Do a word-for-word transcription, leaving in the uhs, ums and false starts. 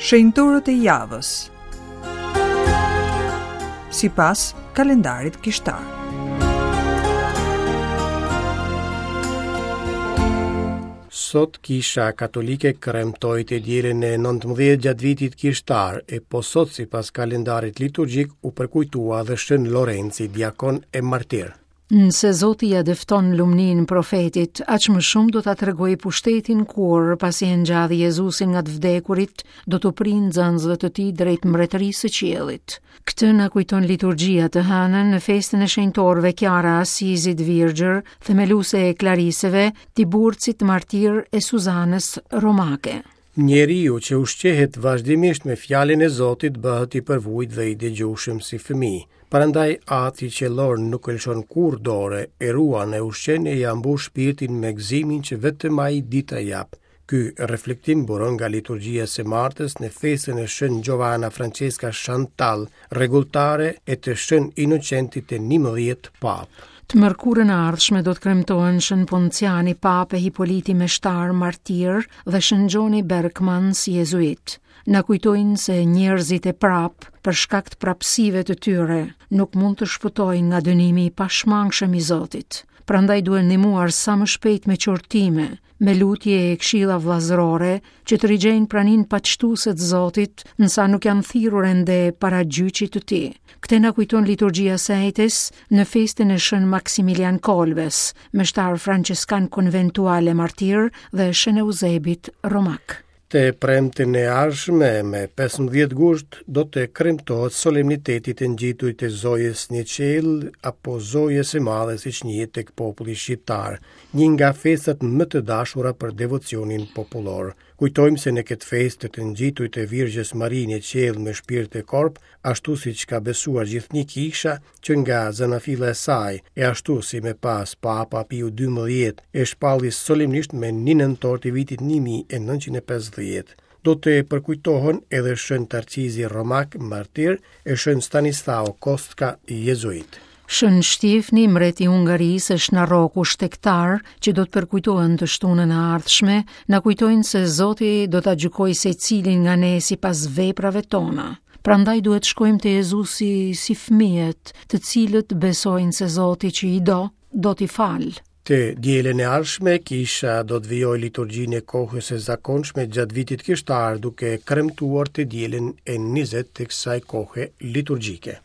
Shenjtorët e javës sipas kalendarit kishtar. Sot Kisha Katolike kremtoi të dielën e nëntëmbëdhjetë gjatë vitit kishtar, e po sot sipas kalendarit liturgjik u përkujtua dhe Shën Lorenci, diakon e martir. Nëse Zoti ja dëfton lumnin profetit, aq më shumë do ta tregojë pushtetin kur, pasi e ngjalli Jezusin nga të vdekurit, do t'u prijë nxënësve të tij drejt mbretërisë së qiellit. Këtë na kujton liturgjia të hënën në festën e shenjtorëve Chiara Assizit Virgjër, themeluese e Klariseve, Tiburcit martir e Suzanës Romake. Njeriu që ushqehet vazhdimisht me fjalën e Zotit bëhet i përvujt dhe i dëgjueshëm si fëmijë. Prandaj Ati qiellor nuk e lëshon kurrë dore, e ruan e ushqen e ia mbush shpirtin me gëzimin që vetëm ai di ta jap. Ky reflektim buron nga liturgjia së martës në festën e Shën Giovanna Francesca Chantal, rregulltare e të Shën Inocentit të njëmbëdhjetë Papë. Të mërkurën e ardhshme do të kremtohen Shën Ponciani Papë e Hipoliti Meshtar Martir dhe Shën Gjoni Berkmans Jezuit. Na kujtojnë se njerëzit e prap, për shkak të prapësive të tyre, nuk mund të shpëtojnë nga dënimi i pashmangshëm i Zotit. Prandaj duhen ndihmuar sa më shpejt me qortime, me lutje e këshilla vëllazërore, që të rigjejnë praninë paqtuese të Zotit, nësa nuk janë thirrur ende para gjyqit të tij. Këtë na kujton liturgjia së ejtes në festën e Shën Maksimilian Kolbes, meshtar franceskan konventual e martir dhe Shën Eusebit Romak. Të premten e ardhshme me pesëmbëdhjetë gusht do të kremtohet solemniteti të ngjiturit të Zojës në qiell apo Zojës së Madhe siç njihet tek populli shqiptar, një nga festat më të dashura për devocionin popullor. Kujtojmë se në këtë festë të ngjiturit të Virgjës Mari në qiell me shpirt e korp, ashtu siç ka besuar gjithnjë kisha që nga zanafilla e saj, e ashtu si me pas Papa Piu dymbëdhjetë e shpalli solemnisht me një nëntor të vitit një mijë e nëntëqind e pesëdhjetë. Do të përkujtohen edhe Shën Tarcizi Romak martir e Shën Stanislao Kostka jezuit. Shën Shtjefni, mbreti i Hungarisë, e Shën shtegtar, që do të përkujtohen të shtunën e ardhshme, na kujtojnë se Zoti do ta gjykojë secilin nga ne sipas veprave tona. Prandaj duhet shkojmë te Jezusi si fëmijët, të cilët besojnë se Zoti që i do, do t'i falë. Të dielën e ardhshme, kisha do të vijojë liturgjinë e kohës së zakonshme gjatë vitit kishtar, duke kremtuar të dielën e njëzet të kësaj kohe liturgjike.